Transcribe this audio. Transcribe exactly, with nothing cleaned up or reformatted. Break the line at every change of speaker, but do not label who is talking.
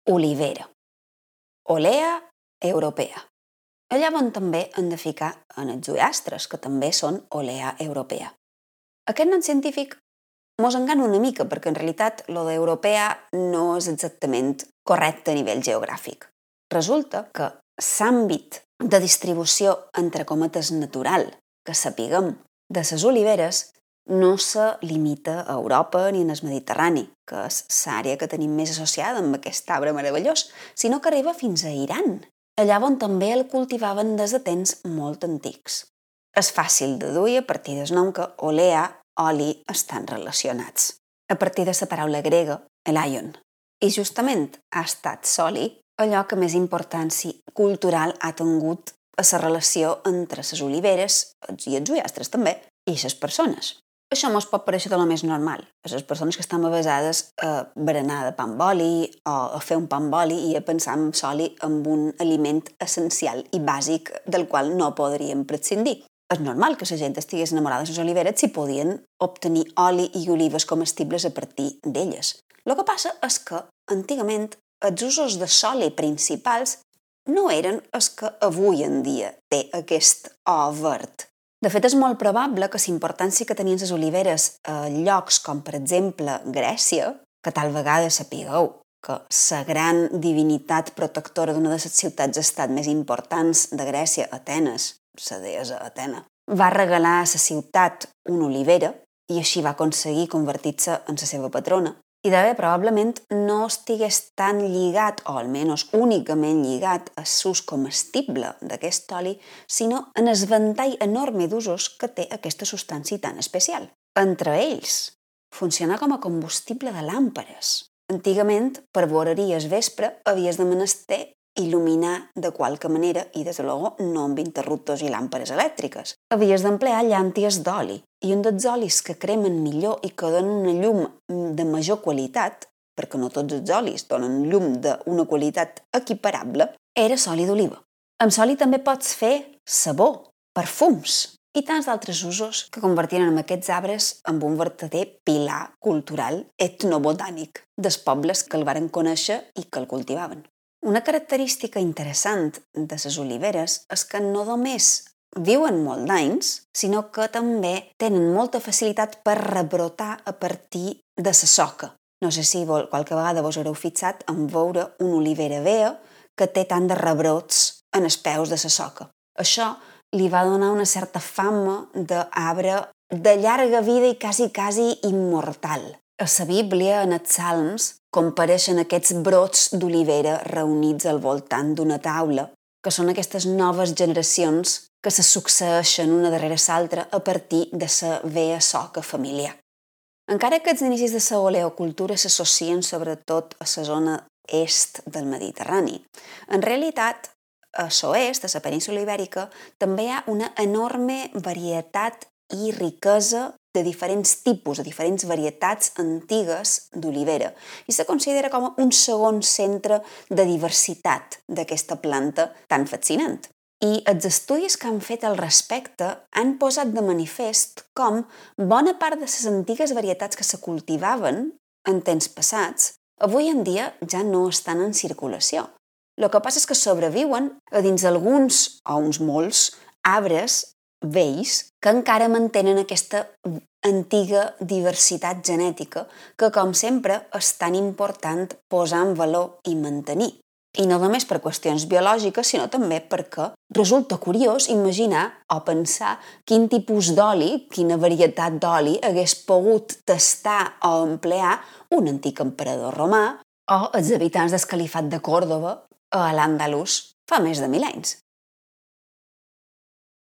olivera, Olea europea. Allà on també hem de ficar en els ullastres, que també són Olea europea. Aquest nom científic mos engana una mica, perquè en realitat lo d'europea no és exactament correcte a nivell geogràfic. Resulta que l'àmbit de distribució, entre cometes, natural, que sapiguem de les oliveres, no se limita a Europa ni en el Mediterrani, que és l'àrea que tenim més associada amb aquest arbre meravellós, sinó que arriba fins a Iran, allà on també el cultivaven des de temps molt antics. És fàcil de deduir a partir del nom que olea, oli, estan relacionats, a partir de la paraula grega elaion. I justament ha estat l'oli allò que més importància cultural ha tingut a la relació entre les oliveres i els ullastres també, i les persones. Això mos pot parèixer de lo més normal. Les persones que estan avesades a berenar de pa amb oli o a fer un pa amb oli i a pensar en l'oli amb un aliment essencial i bàsic del qual no podríem prescindir. És normal que la gent estigués enamorada de les oliveres si podien obtenir oli i olives comestibles a partir d'elles. El que passa és que, antigament, els usos de l'oli principals no eren els que avui en dia té aquest o verd. De fet, és molt probable que la importància que tenien les oliveres a llocs com, per exemple, Grècia, que tal vegada sapigueu que la gran divinitat protectora d'una de les ciutats-estat més importants de Grècia, Atenes, la deessa Atena, va regalar a la ciutat una olivera i així va aconseguir convertir-se en la seva patrona. I d'haver probablement no estigués tan lligat, o almenys únicament lligat, a l'ús comestible d'aquest oli, sinó en el ventall enorme d'usos que té aquesta substància tan especial. Entre ells, funciona com a combustible de làmpares. Antigament, per voreria al vespre, havies de menester il·luminar de qualque manera i, des de luego, no amb interruptors i làmpares elèctriques. Havies d'emplear llànties d'oli, i un dels olis que cremen millor i que donen una llum de major qualitat, perquè no tots els olis donen llum d'una qualitat equiparable, era l'oli d'oliva. Amb l'oli també pots fer sabó, perfums i tants d'altres usos que convertien en aquests arbres en un verdader pilar cultural etnobotànic dels pobles que el varen conèixer i que el cultivaven. Una característica interessant de les oliveres és que no només viuen molt d'anys, sinó que també tenen molta facilitat per rebrotar a partir de la soca. No sé si vol, qualque vegada vos haureu fixat en veure una olivera vea que té tant de rebrots en els peus de la soca. Això li va donar una certa fama d'arbre de llarga vida i quasi, quasi immortal. A la Bíblia, en els Salms, compareixen aquests brots d'olivera reunits al voltant d'una taula, que són aquestes noves generacions que se succeeixen una darrere l'altra a partir de la vea soca familiar. Encara que els inicis de la oleocultura s'associen sobretot a la zona est del Mediterrani, en realitat, a l'oest, a la península ibèrica, també hi ha una enorme varietat i riquesa de diferents tipus, de diferents varietats antigues d'olivera, i se considera com un segon centre de diversitat d'aquesta planta tan fascinant. I els estudis que han fet al respecte han posat de manifest com bona part de les antigues varietats que se cultivaven en temps passats, avui en dia ja no estan en circulació. El que passa és que sobreviuen a dins alguns, o uns molts, arbres vells que encara mantenen aquesta antiga diversitat genètica que, com sempre, és tan important posar en valor i mantenir. I no només per qüestions biològiques, sinó també perquè resulta curiós imaginar o pensar quin tipus d'oli, quina varietat d'oli hagués pogut tastar o emplear un antic emperador romà o els habitants del califat de Còrdova a l'Àndalus fa més de mil anys.